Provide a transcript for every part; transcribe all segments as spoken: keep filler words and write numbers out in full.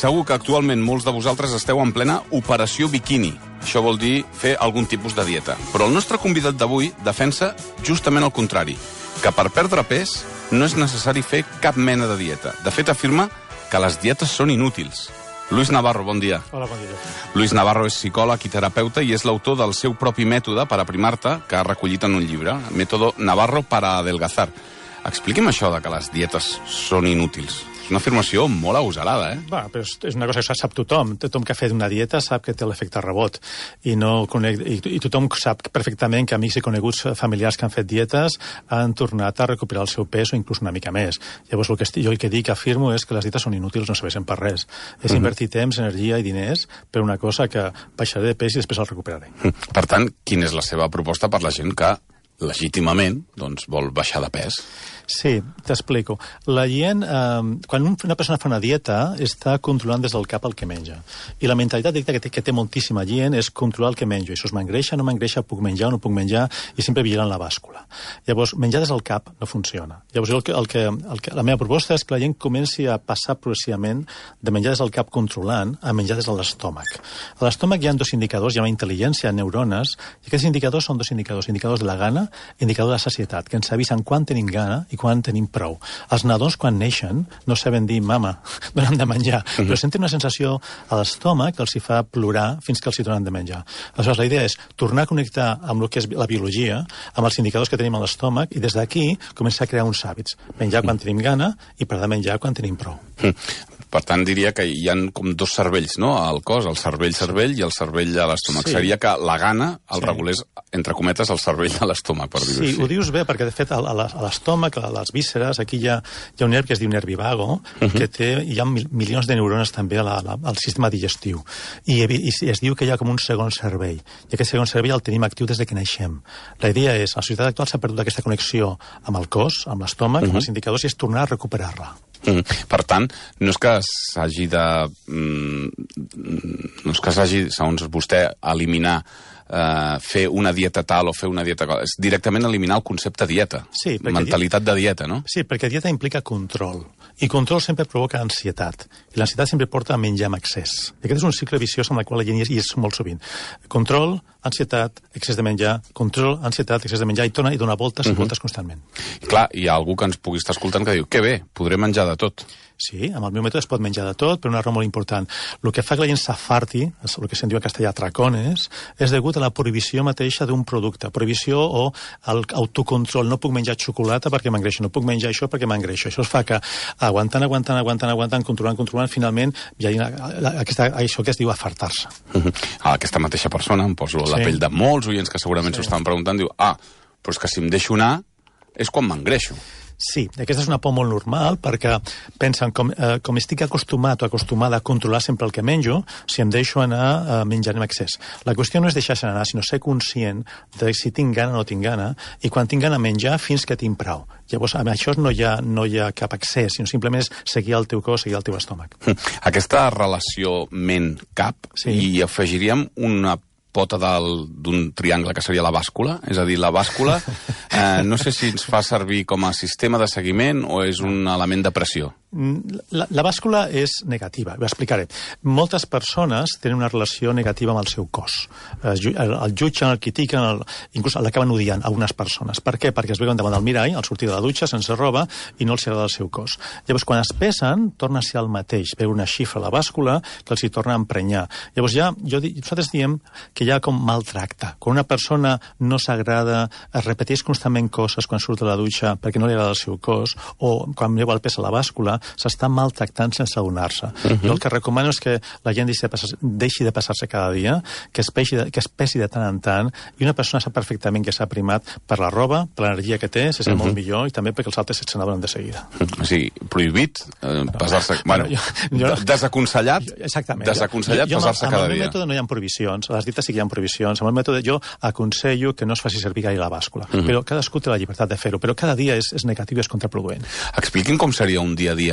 segur que actualment molts de vosaltres esteu en plena operació biquini. Això vol dir fer algun tipus de dieta. Però el nostre convidat d'avui defensa justament el contrari, que per perdre pes no és necessari fer cap mena de dieta. De fet, afirma que les dietes són inútils. Luis Navarro, bon dia. Hola, bon dia. Luis Navarro és psicòleg i terapeuta i és l'autor del seu propi mètode per aprimar-te, que ha recollit en un llibre, Método Navarro para adelgazar. Expliqui'm això de que les dietes són inútils. És una afirmació molt agosarada, eh? Va, però és una cosa que sap tothom. Tothom que ha fet una dieta sap que té l'efecte rebot. I, no conec, i, I tothom sap perfectament que amics i coneguts familiars que han fet dietes han tornat a recuperar el seu pes o inclús una mica més. Llavors, el que estic, jo el que dic, afirmo, és que les dietes són inútils, no serveixen per res. És uh-huh. invertir temps, energia i diners per una cosa que baixaré de pes i després el recuperaré. Per tant, quina és la seva proposta per la gent que legítimament doncs, vol baixar de pes? Sí, t'explico. La gent, eh, quan una persona fa una dieta, està controlant des del cap el que menja. I la mentalitat que té, que té moltíssima gent és controlar el que menjo. Això es m'engreixa, no m'engreixa, puc menjar o no puc menjar, i sempre vigilant la bàscula. Llavors, menjar des del cap no funciona. Llavors, el que, el que, el que, la meva proposta és que la gent comenci a passar progressivament de menjar des del cap controlant a menjar des de l'estómac. A l'estómac hi ha dos indicadors, hi ha una intel·ligència, neurones, i aquests indicadors són dos indicadors, indicadors de la gana i indicadors de la sacietat, que ens avisen quan tenim gana i quan tenim prou. Els nadons, quan neixen, no saben dir mama, dona'm de menjar, uh-huh. però senten una sensació a l'estómac que els hi fa plorar fins que els hi donen de menjar. Aleshores, la idea és tornar a connectar amb el que és la biologia, amb els indicadors que tenim a l'estómac, i des d'aquí començar a crear uns hàbits. Menjar quan tenim gana i parar de menjar quan tenim prou. Uh-huh. Per tant, diria que hi ha com dos cervells, no?, al cos, el cervell-cervell i el cervell a l'estómac. Sí. Seria que la gana el sí. regulés, entre cometes, el cervell a l'estómac, per dir-ho sí, així. Sí, ho dius bé, perquè de fet a l'estómac, a les vísceres, aquí hi ha, hi ha un nervi que es diu nervi vago, uh-huh. que té, hi ha mil, milions de neurones també a la, a la, al sistema digestiu. I, i es diu que hi ha com un segon cervell. I aquest segon cervell el tenim actiu des de que naixem. La idea és, a la societat actual s'ha perdut aquesta connexió amb el cos, amb l'estómac, uh-huh. amb els indicadors, i és tornar a recuperar-la. Mm. Per tant, no és que s'hagi de... Mm, no és que s'hagi, segons vostè, eliminar, eh, fer una dieta tal o fer una dieta... És directament eliminar el concepte dieta. Sí, mentalitat de dieta, no? Sí, perquè dieta implica control. I control sempre provoca ansietat. I l'ansietat sempre porta a menjar amb excés. I aquest és un cicle viciós en el qual la gent hi és molt sovint. Control, ansietat, excés de menjar, control, ansietat, excés de menjar, i torna i dona voltes i uh-huh. voltes constantment. I clar, hi ha algú que ens pugui estar escoltant que diu, que bé, podré menjar de tot. Sí, amb el meu mètode es pot menjar de tot, però una raó molt important. El que fa que la gent s'afarti, el que se'n diu en castellà tracones, és degut a la prohibició mateixa d'un producte. Prohibició o autocontrol. No puc menjar xocolata perquè m'engreixo, no puc menjar això perquè m'engreixo. Això es fa que aguantant, aguantant, aguantant, aguantant, controlant, controlant, finalment hi ha aquesta, això que es diu afartar-se. Uh-huh. A aquesta mateixa persona, em poso sí. la pell de molts oients que segurament s'ho sí. estaven preguntant, diu, ah, però és que si em deixo anar és quan m'engreixo. Sí, aquesta és una por molt normal, perquè pensen, com, eh, com estic acostumat o acostumada a controlar sempre el que menjo, si em deixo anar eh, menjant en excés. La qüestió no és deixar-se anar, sinó ser conscient de si tinc gana o no tinc gana, i quan tinc gana menjar fins que tinc prou. Llavors, amb això no hi ha, no hi ha cap excés, sinó simplement és seguir el teu cos, seguir el teu estómac. Aquesta relació ment-cap, sí. hi afegiríem una pota d'un triangle que seria la bàscula, és a dir, la bàscula eh, no sé si ens fa servir com a sistema de seguiment o és un element de pressió. La, la bàscula és negativa, ho explicaré. Moltes persones tenen una relació negativa amb el seu cos. El, el jutgen, el critiquen, el, inclús l'acaben odiant a algunes persones. Per què? Perquè es veuen davant del mirall, al sortir de la dutxa, sense roba, i no els agrada el seu cos. Llavors, quan es pesen, torna a ser el mateix, veure una xifra a la bàscula que els hi torna a emprenyar. Llavors, ja, jo, nosaltres diem que hi ha com maltracte. Quan una persona no s'agrada, es repeteix constantment coses quan surt de la dutxa perquè no li agrada el seu cos, o quan veu el pes a la bàscula, s'està maltractant sense adonar-se. Uh-huh. Jo el que recomano és que la gent deixi de passar-se, deixi de passar-se cada dia, que es, pesi de, que es pesi de tant en tant, i una persona sap perfectament que s'ha primat per la roba, per l'energia que té, se sent uh-huh. molt millor, i també perquè els altres se n'adonen de seguida. O sigui, prohibit eh, pesar-se... Bueno, jo, jo, desaconsellat, exactament, desaconsellat jo, jo, pesar-se cada dia. Amb el meu mètode no hi ha prohibicions, a les dietes sí que hi ha prohibicions, amb el mètode jo aconsello que no es faci servir gaire la bàscula, uh-huh. però cadascú té la llibertat de fer-ho, però cada dia és, és negatiu i és contraproduent. Expliquin com seria un dia a dia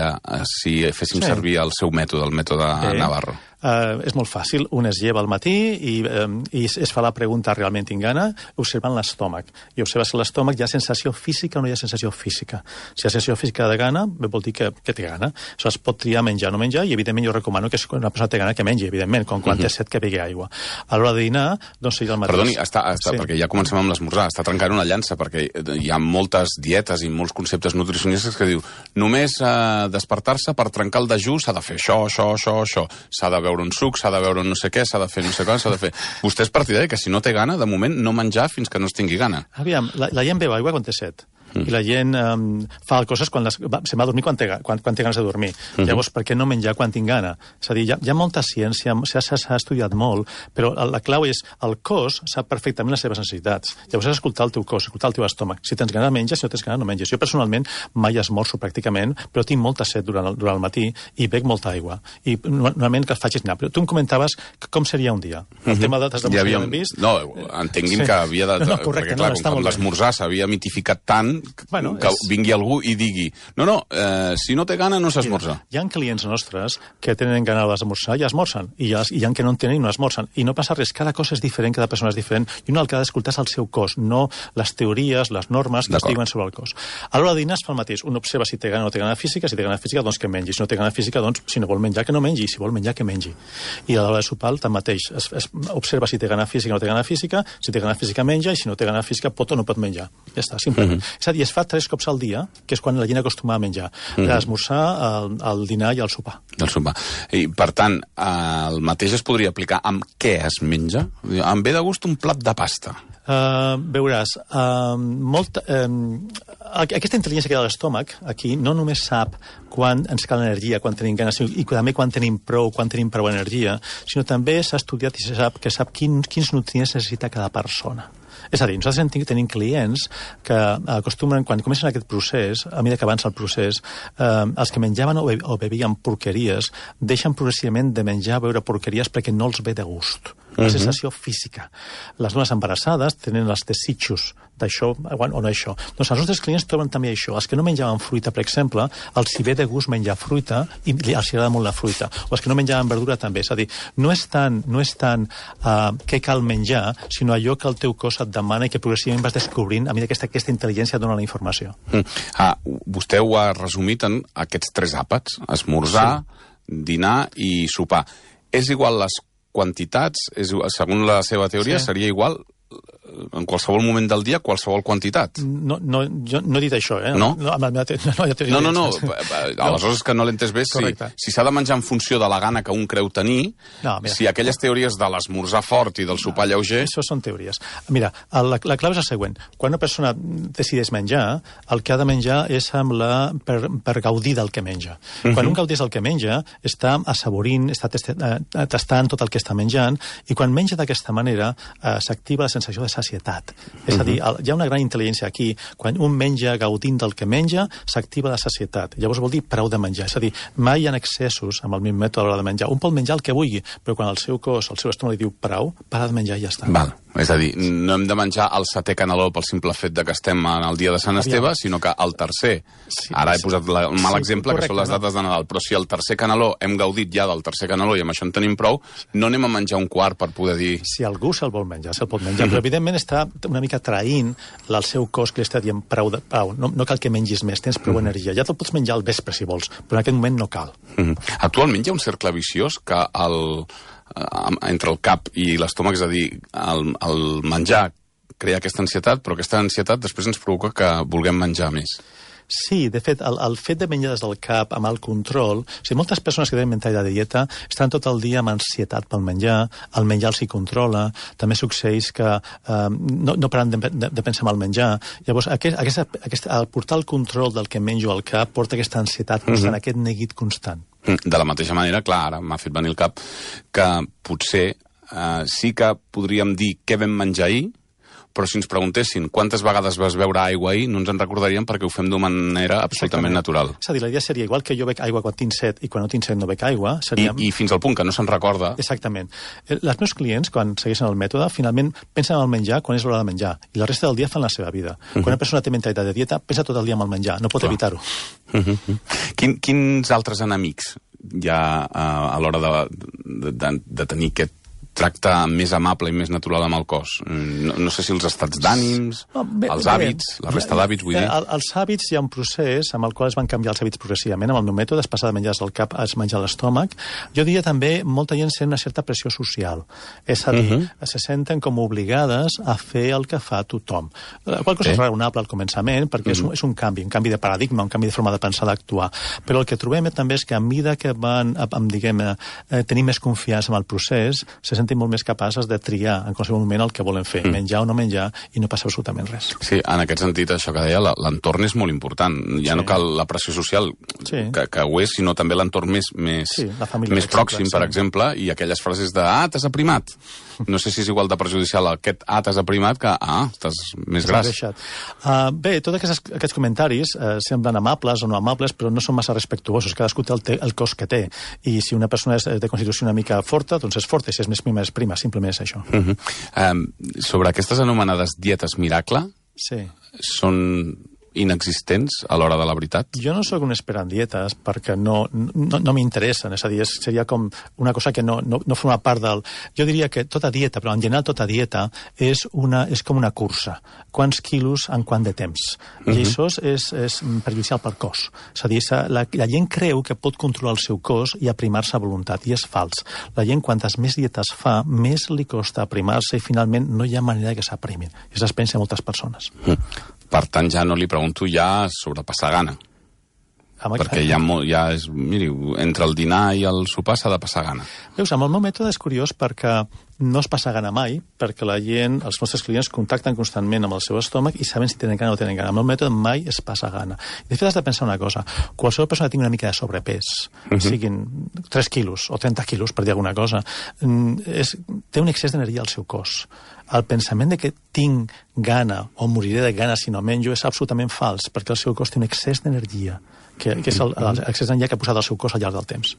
si féssim sí. servir el seu mètode, el mètode eh, Navarro. Uh, és molt fàcil. Un es lleva al matí i, um, i es fa la pregunta realment tinc gana, observant l'estómac. I observa si l'estómac hi ha sensació física o no hi ha sensació física. Si hi ha sensació física de gana, vol dir que, que té gana. Això es pot triar menjar o no menjar, i evidentment jo recomano que si una persona té gana que mengi, evidentment, com quan uh -huh. té set que begui aigua. A l'hora de dinar, doncs seria el mateix. Perdoni, està, està, sí. perquè ja comencem amb l'esmorzar, està trencant una llança, perquè hi ha moltes dietes i molts conceptes nutricionistes que diu només eh, despertar-se per trencar el dejú s'ha de fer això, això, això, això. S'ha de beure un suc, s'ha de beure un no sé què, s'ha de fer no sé què, s'ha de fer... Vostè és partidari que si no té gana, de moment no menjar fins que no es tingui gana. Aviam, la, la gent beu aigua quan té set. Mm. I la gent um, fa coses quan les, va, se'n va a dormir quan té, quan, quan té ganes de dormir. Mm-hmm. Llavors, per què no menjar quan tinc gana? És a dir, hi ha, hi ha molta ciència, s'ha estudiat molt, però la clau és el cos sap perfectament les seves necessitats. Llavors has d'escoltar el teu cos, escoltar el teu estómac. Si tens gana, menges, si no tens gana, no menges. Jo personalment mai esmorzo pràcticament, però tinc molta set durant el, durant el matí i bec molta aigua. I normalment que faig és anar. Però tu em comentaves com seria un dia. El mm-hmm. tema de t'has de ja havíem... vist... No, entenguin sí. que havia de... No, no, correcte, perquè, clar, no, com l'esmorzar s'havia mitificat tant bueno, que és... vingui algú i digui no, no, eh, si no té gana no s'esmorza. Hi ha clients nostres que tenen gana d'esmorzar i esmorzen, i hi ha, hi ha que no en tenen i no esmorzen. I no passa res, cada cosa és diferent, cada persona és diferent, i un el que ha d'escoltar és el seu cos, no les teories, les normes que es diuen sobre el cos. A l'hora de dinar es fa el mateix. Un observa si té gana o no té gana física, si té gana física, doncs que mengi. Si no té gana física, doncs si no vol menjar, que no mengi. Si vol menjar, que mengi. I a l'hora de sopar, tanmateix, es, es observa si té gana física o no té gana física, si té gana física menja, i si no té gana física pot o no pot menjar. Ja està, simplement. Mm-hmm. És a dir, es fa tres cops al dia, que és quan la gent acostuma a menjar. Mm-hmm. L'esmorzar, el, el dinar i el sopar. El sopar. I, per tant, el mateix es podria aplicar amb què es menja? Em ve de gust un plat de pasta. Uh, veuràs, uh, molt, uh, aquesta intel·ligència que hi ha a l'estómac, aquí, no només sap quan ens cal energia, quan tenim ganes, i també quan tenim prou, quan tenim prou energia, sinó també s'ha estudiat i se sap que sap quin, quins nutrients necessita cada persona. És a dir, nosaltres tenim clients que acostumen, quan comencen aquest procés, a mesura que avança el procés, eh, els que menjaven o, be o bevien porqueries deixen progressivament de menjar o beure porqueries perquè no els ve de gust. Una uh-huh. sensació física. Les dones embarassades tenen els desitjos d'això o no això. Doncs els nostres clients troben també això. Els que no menjaven fruita, per exemple, els hi ve de gust menjar fruita i els agrada molt la fruita. O els que no menjaven verdura també. És a dir, no és tant, no és tant uh, què cal menjar, sinó allò que el teu cos et demana i que progressivament vas descobrint a mesura que aquesta, aquesta intel·ligència dona la informació. Mm. Ah, vostè ho ha resumit en aquests tres àpats. Esmorzar, sí. dinar i sopar. És igual les quantitats, és, segons la seva teoria, sí. seria igual en qualsevol moment del dia, qualsevol quantitat. No, no, jo no he dit això, eh? No? No, no, no, no, no. Aleshores és que no l'he entès bé. Si, si s'ha de menjar en funció de la gana que un creu tenir, no, mira, si aquelles teories de l'esmorzar fort i del sopar no, lleuger... Això són teories. Mira, la, la clau és la següent. Quan una persona decideix menjar, el que ha de menjar és amb la, per, per gaudir del que menja. Uh-huh. Quan un gaudeix del que menja, està assaborint, està tastant tot el que està menjant, i quan menja d'aquesta manera, eh, s'activa la sensació de sacietat. És a dir, hi ha una gran intel·ligència aquí. Quan un menja gaudint del que menja, s'activa la sacietat. Llavors vol dir prou de menjar. És a dir, mai hi ha excessos amb el misme mètode a l'hora de menjar. Un pot menjar el que vulgui, però quan el seu cos, el seu estómac li diu prou, para de menjar i ja està. Val. És a dir, no hem de menjar el setè caneló pel simple fet de que estem en el dia de Sant Esteve, sinó que el tercer. Sí, Ara he posat la, un mal sí, exemple, correcte, que són les dates de Nadal, però si el tercer caneló hem gaudit ja del tercer caneló i amb això en tenim prou, no anem a menjar un quart per poder dir... Si algú se'l vol menjar, se'l pot menjar, però evidentment està una mica traint el seu cos que li està dient prou, de, prou. No, no cal que mengis més, tens prou energia. Ja te'l pots menjar al vespre, si vols, però en aquest moment no cal. Actualment hi ha un cercle viciós que el... entre el cap i l'estómac, és a dir, el, el menjar crea aquesta ansietat, però aquesta ansietat després ens provoca que vulguem menjar més. Sí, de fet, el, el fet de menjar des del cap amb el control... O sigui, moltes persones que tenen mentalitat de dieta estan tot el dia amb ansietat pel menjar, el menjar els hi controla, també succeeix que eh, no, no paren de, de, de pensar en el menjar. Llavors, aquest, aquesta, aquesta, el portar el control del que menjo al cap porta aquesta ansietat constant, mm-hmm. aquest neguit constant. De la mateixa manera, clar, ara m'ha fet venir el cap que potser eh, sí que podríem dir què vam menjar ahir, però si ens preguntessin quantes vegades vas beure aigua ahir, no ens en recordaríem perquè ho fem d'una manera absolutament natural. És a dir, la idea seria igual que jo bec aigua quan tinc set i quan no tinc set no bec aigua. Seria... I, I fins al punt que no se'n recorda. Exactament. Els meus clients, quan segueixen el mètode, finalment pensen en el menjar quan és l'hora de menjar i la resta del dia fan la seva vida. Uh-huh. Quan una persona té mentalitat de dieta, pensa tot el dia en el menjar, no pot Clar. evitar-ho. Uh-huh. Quin, quins altres enemics ja a, a l'hora de, de, de, de tenir aquest tracte més amable i més natural amb el cos? No, no sé si els estats d'ànims, oh, els hàbits, bé, la resta d'hàbits, vull dir... El, els hàbits hi ha un procés amb el qual es van canviar els hàbits progressivament. Amb el meu mètode es passa de menjar al cap a menjar a l'estómac. Jo diria també, molta gent sent una certa pressió social. És a dir, uh -huh. se senten com obligades a fer el que fa tothom. La qual cosa sí. és raonable al començament, perquè uh -huh. és, un, és un canvi, un canvi de paradigma, un canvi de forma de pensar, d'actuar. Però el que trobem també és que a mesura que van, amb, diguem, eh, tenir més confiança en el procés, se senten molt més capaces de triar en qualsevol moment el que volen fer, mm. menjar o no menjar, i no passa absolutament res. Sí, en aquest sentit, això que deia, l'entorn és molt important. Ja sí. no cal la pressió social, sí. que, que ho és, sinó també l'entorn més, més, sí, família, més pròxim, sí. per exemple, i aquelles frases de ah, t'has aprimat. No sé si és igual de perjudicial aquest ah, t'has aprimat que ah, estàs més gras. Uh, bé, tots aquests, aquests comentaris uh, semblen amables o no amables, però no són massa respectuosos. Cadascú té el, te, el cos que té. I si una persona és de constitució una mica forta, doncs és forta, i si és més prima, és prima. Simplement és això. Uh -huh. um, sobre aquestes anomenades dietes miracle, sí. són inexistents a l'hora de la veritat? Jo no sóc un expert en dietes perquè no, no, no m'interessen, és a dir, seria com una cosa que no, no, no forma part del... Jo diria que tota dieta, però en general tota dieta, és, una, és com una cursa. Quants quilos en quant de temps. Uh -huh. I això és, és perjudicial pel cos. És a dir, la, la gent creu que pot controlar el seu cos i aprimar-se a voluntat, i és fals. La gent, quantes més dietes fa, més li costa aprimar-se i finalment no hi ha manera que s'aprimin. I això es pensa a moltes persones. Uh -huh. Per tant, ja no li pregunto ja sobre passar gana. Home, perquè ja, ja és... Miri, entre el dinar i el sopar s'ha de passar gana. Veus, amb el meu mètode és curiós perquè no es passa gana mai, perquè la gent, els nostres clients, contacten constantment amb el seu estómac i saben si tenen gana o no tenen gana. Amb el mètode mai es passa gana. De fet, has de pensar una cosa. Qualsevol persona que tingui una mica de sobrepès, uh -huh. siguin tres quilos o trenta quilos, per dir alguna cosa, és, té un excés d'energia al seu cos. El pensament de que tinc gana o moriré de gana si no menjo és absolutament fals, perquè el seu cos té un excés d'energia, que, que és l'excés d'energia que ha posat el seu cos al llarg del temps.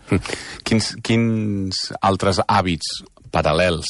Quins, quins altres hàbits paral·lels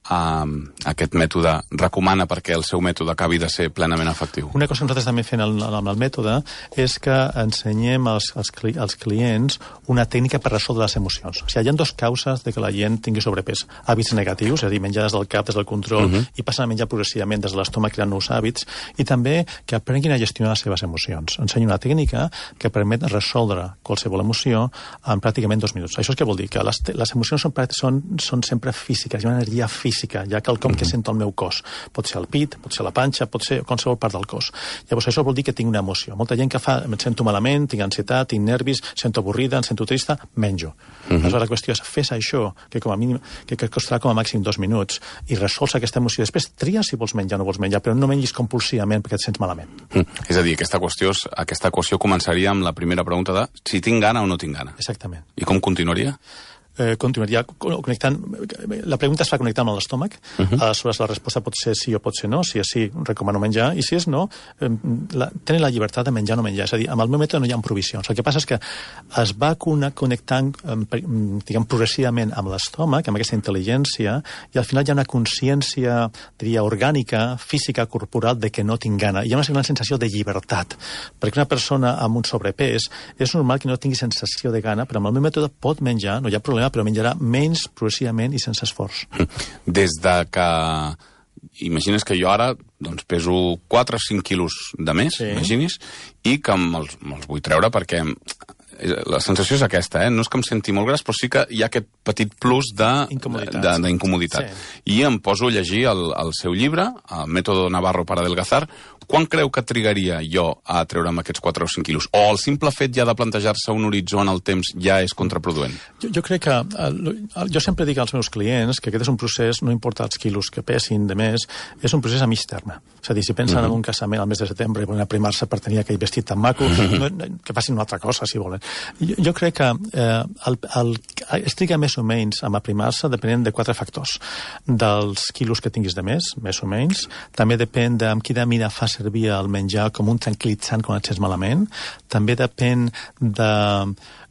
a aquest mètode recomana perquè el seu mètode acabi de ser plenament efectiu? Una cosa que nosaltres també fem amb el mètode és que ensenyem als, als, cli, als clients una tècnica per resoldre les emocions. O sigui, hi ha dues causes de que la gent tingui sobrepès. Hàbits negatius, és a dir, menjar des del cap, des del control, uh -huh. i passen a menjar progressivament des de l'estómac creant nous hàbits, i també que aprenguin a gestionar les seves emocions. Ensenyo una tècnica que permet resoldre qualsevol emoció en pràcticament dos minuts. Això és què vol dir? Que les, les emocions són, són, són sempre físiques, hi ha una energia física física, ja quelcom que sento al meu cos. Pot ser el pit, pot ser la panxa, pot ser qualsevol part del cos. Llavors, això vol dir que tinc una emoció. Molta gent que fa, em sento malament, tinc ansietat, tinc nervis, sento avorrida, em sento trista, menjo. Uh -huh. Aleshores, la qüestió és, fes això, que com a mínim, que, que costarà com a màxim dos minuts, i resols aquesta emoció. Després, tria si vols menjar o no vols menjar, però no mengis compulsivament perquè et sents malament. Mm. És a dir, aquesta qüestió, aquesta equació començaria amb la primera pregunta de si tinc gana o no tinc gana. Exactament. I com continuaria? Eh, continuaria connectant... La pregunta es fa connectant amb l'estómac. Uh -huh. Aleshores, la resposta pot ser sí o pot ser no. Si és sí, recomano menjar. I si és no, eh, la, tenen la llibertat de menjar o no menjar. És a dir, amb el meu mètode no hi ha provisions. El que passa és que es va connectant, eh, diguem, progressivament amb l'estómac, amb aquesta intel·ligència, i al final hi ha una consciència, diria, orgànica, física, corporal, de que no tinc gana. Hi ha una gran sensació de llibertat. Perquè una persona amb un sobrepès és normal que no tingui sensació de gana, però amb el meu mètode pot menjar, no hi ha problema, però menjarà menys progressivament i sense esforç. Des de que... Imagines que jo ara doncs, peso quatre o cinc quilos de més, sí. Imaginis, i que me'ls me vull treure perquè la sensació és aquesta, eh? No és que em senti molt gras, però sí que hi ha aquest petit plus d'incomoditat. Sí. I em poso a llegir el, el seu llibre, el Método Navarro para adelgazar. Quan creu que trigaria jo a treure'm aquests quatre o cinc quilos? O el simple fet ja de plantejar-se un horitzó en el temps ja és contraproduent? Jo, jo crec que... El, el, jo sempre dic als meus clients que aquest és un procés, no importa els quilos que pesin de més, és un procés a mig terme. És a dir, si pensen uh -huh. en un casament al mes de setembre i volen aprimar-se per tenir aquell vestit tan maco, uh -huh. no, que facin una altra cosa, si volen. Jo, jo crec que eh, el, el, es triga més o menys a aprimar-se depenent de quatre factors. Dels quilos que tinguis de més, més o menys. També depèn de amb quina mida fa servir el menjar com un tranquil·litzant quan et sents malament. També depèn de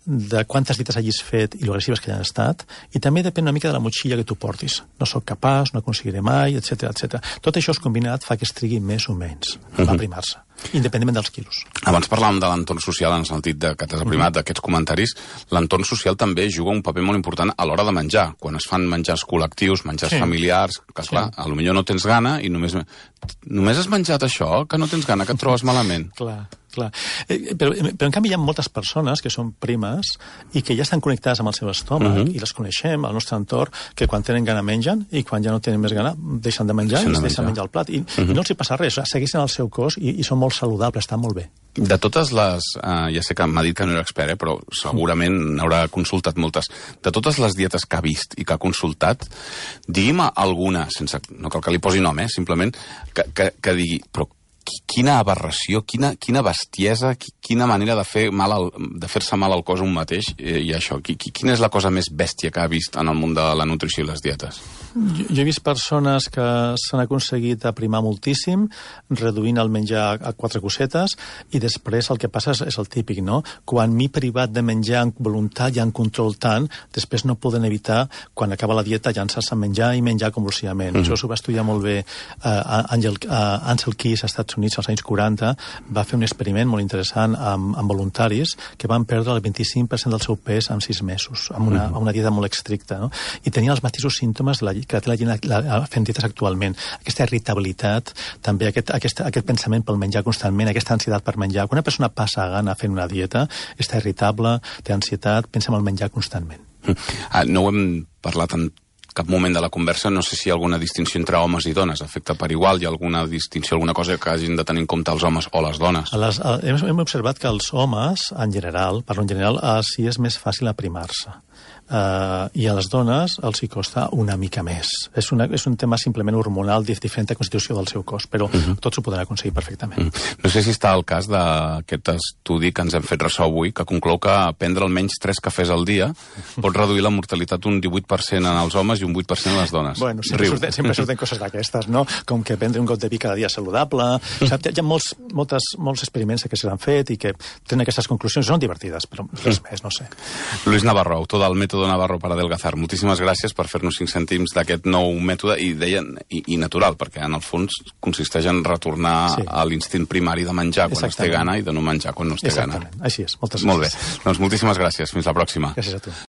de quantes dietes hagis fet i l'agressives que han estat, i també depèn una mica de la motxilla que tu portis. No sóc capaç, no aconseguiré mai, etcètera, etcètera. Tot això combinat fa que es trigui més o menys a Uh-huh. aprimar-se, independentment dels quilos. Abans parlàvem de l'entorn social en el sentit de que t'has aprimat d'aquests comentaris. L'entorn social també juga un paper molt important a l'hora de menjar. Quan es fan menjars col·lectius, menjars Sí. familiars, que clar, Sí. a lo millor no tens gana i només... Només has menjat això, que no tens gana, que et trobes malament. Clar, clar. Eh, però, però en canvi hi ha moltes persones que són primes i que ja estan connectades amb el seu estómac Uh-huh. i les coneixem al nostre entorn, que quan tenen gana mengen i quan ja no tenen més gana deixen de menjar Deixen i de es deixen menjar. menjar el plat. I, Uh-huh. i no els hi passa res, segueixen el seu cos i, i són molt saludables, estan molt bé. De totes les... Eh, ja sé que m'ha dit que no era expert, eh, però segurament n'haurà consultat moltes. De totes les dietes que ha vist i que ha consultat, digui'm alguna, sense, no cal que li posi nom, eh, simplement, que, que, que digui, però qui- quina aberració, quina, quina bestiesa, qui- quina manera de fer mal al, de fer-se mal al cos un mateix, eh, i això, qui, qui, quina és la cosa més bèstia que ha vist en el món de la nutrició i les dietes? Jo, jo he vist persones que s'han aconseguit aprimar moltíssim, reduint el menjar a quatre cosetes, i després el que passa és, és el típic, no? Quan m'he privat de menjar en voluntat i en control tant, després no poden evitar, quan acaba la dieta, llançar-se a menjar i menjar convulsivament. Mm-hmm. Això s'ho va estudiar molt bé uh, Angel, uh, Ansel Keys als Estats Units als anys quaranta, va fer un experiment molt interessant amb, amb voluntaris que van perdre el vint-i-cinc per cent del seu pes en sis mesos, amb una, mm-hmm. amb una dieta molt estricta, no? I tenien els mateixos símptomes de la, que té la gent la, la, fent dietes actualment. Aquesta irritabilitat, també aquest, aquest, aquest pensament pel menjar constantment, aquesta ansietat per menjar. Quan una persona passa gana fent una dieta, està irritable, té ansietat, pensa en el menjar constantment. Ah, no ho hem parlat en cap moment de la conversa, no sé si hi ha alguna distinció entre homes i dones, afecta per igual, hi ha alguna distinció, alguna cosa que hagin de tenir en compte els homes o les dones? A les, a, hem, hem observat que els homes, en general, parlo en general, uh, sí és més fàcil aprimar-se. Uh, i a les dones els hi costa una mica més. És, una, és un tema simplement hormonal, de diferent constitució del seu cos, però uh-huh. tots ho podran aconseguir perfectament. Uh-huh. No sé si està al cas d'aquest estudi que ens hem fet ressò avui, que conclou que prendre almenys tres cafès al dia pot reduir la mortalitat un divuit per cent en els homes i un vuit per cent en les dones. Bueno, sempre surten, sempre surten coses d'aquestes, no? Com que prendre un got de vi cada dia és saludable. O sigui, hi ha molts, moltes, molts experiments que s'han fet i que tenen aquestes conclusions. Són divertides, però res més, no sé. Luis Navarro, autor del mètode Navarro para adelgazar. Moltíssimes gràcies per fer-nos cinc cèntims d'aquest nou mètode i, deien, i, i natural, perquè en el fons consisteix en retornar sí. a l'instint primari de menjar quan es té gana i de no menjar quan no es té gana. Exactament, així és. Moltes gràcies. Molt bé. gràcies. Doncs moltíssimes gràcies. Fins la pròxima. Gràcies a tu.